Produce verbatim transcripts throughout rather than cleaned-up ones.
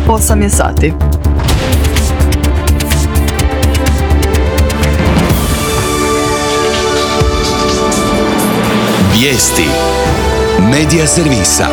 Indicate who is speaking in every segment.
Speaker 1: osam je sati.
Speaker 2: Vijesti Medija servisa.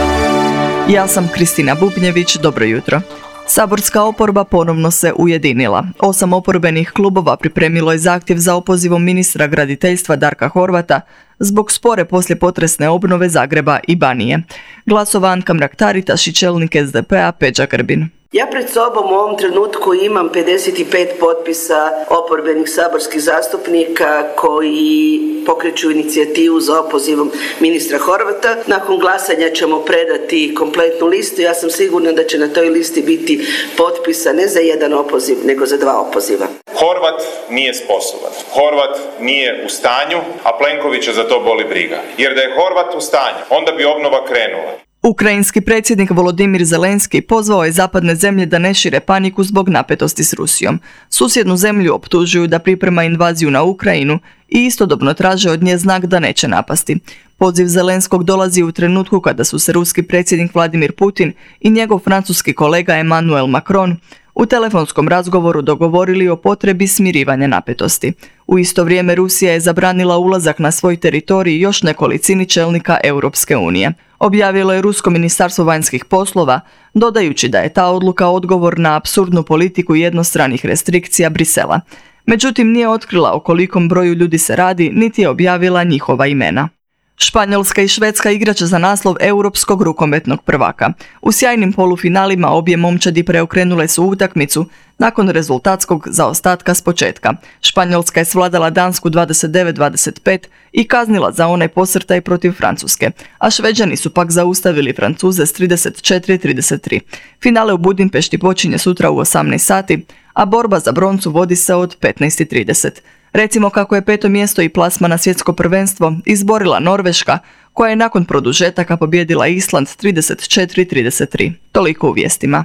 Speaker 1: Ja sam Kristina Bubnjević, dobro jutro. Saborska oporba ponovno se ujedinila. Osam oporbenih klubova pripremilo je zahtjev za opozivom ministra graditeljstva Darka Horvata zbog spore poslijepotresne obnove Zagreba i Banije. Glasova Anka Mrak-Taritaš i čelnik S D P-a Peđa Grbin.
Speaker 3: Ja pred sobom u ovom trenutku imam pedeset pet potpisa oporbenih saborskih zastupnika koji pokreću inicijativu za opozivom ministra Horvata. Nakon glasanja ćemo predati kompletnu listu. Ja sam sigurna da će na toj listi biti potpisa ne za jedan opoziv, nego za dva opoziva.
Speaker 4: Horvat nije sposoban. Horvat nije u stanju, a Plenkovića za to boli briga. Jer da je Horvat u stanju, onda bi obnova krenula.
Speaker 1: Ukrajinski predsjednik Volodimir Zelenski pozvao je zapadne zemlje da ne šire paniku zbog napetosti s Rusijom. Susjednu zemlju optužuju da priprema invaziju na Ukrajinu i istodobno traže od nje znak da neće napasti. Poziv Zelenskog dolazi u trenutku kada su se ruski predsjednik Vladimir Putin i njegov francuski kolega Emmanuel Macron u telefonskom razgovoru dogovorili o potrebi smirivanja napetosti. U isto vrijeme Rusija je zabranila ulazak na svoj teritorij još nekolicini čelnika Europske unije. Objavilo je Rusko ministarstvo vanjskih poslova, dodajući da je ta odluka odgovor na apsurdnu politiku jednostranih restrikcija Brisela. Međutim, nije otkrila o kolikom broju ljudi se radi, niti je objavila njihova imena. Španjolska i Švedska igraće za naslov europskog rukometnog prvaka. U sjajnim polufinalima obje momčadi preokrenule su utakmicu nakon rezultatskog zaostatka s početka. Španjolska je svladala Dansku dvadeset devet dvadeset pet i kaznila za onaj posrtaj protiv Francuske, a Šveđani su pak zaustavili Francuze s trideset četiri trideset tri. Finale u Budimpešti počinje sutra u osamnaest sati, a borba za broncu vodi se od petnaest trideset. Recimo kako je peto mjesto i plasma na svjetsko prvenstvo izborila Norveška, koja je nakon produžetaka pobijedila Island trideset četiri trideset tri. Toliko u vijestima.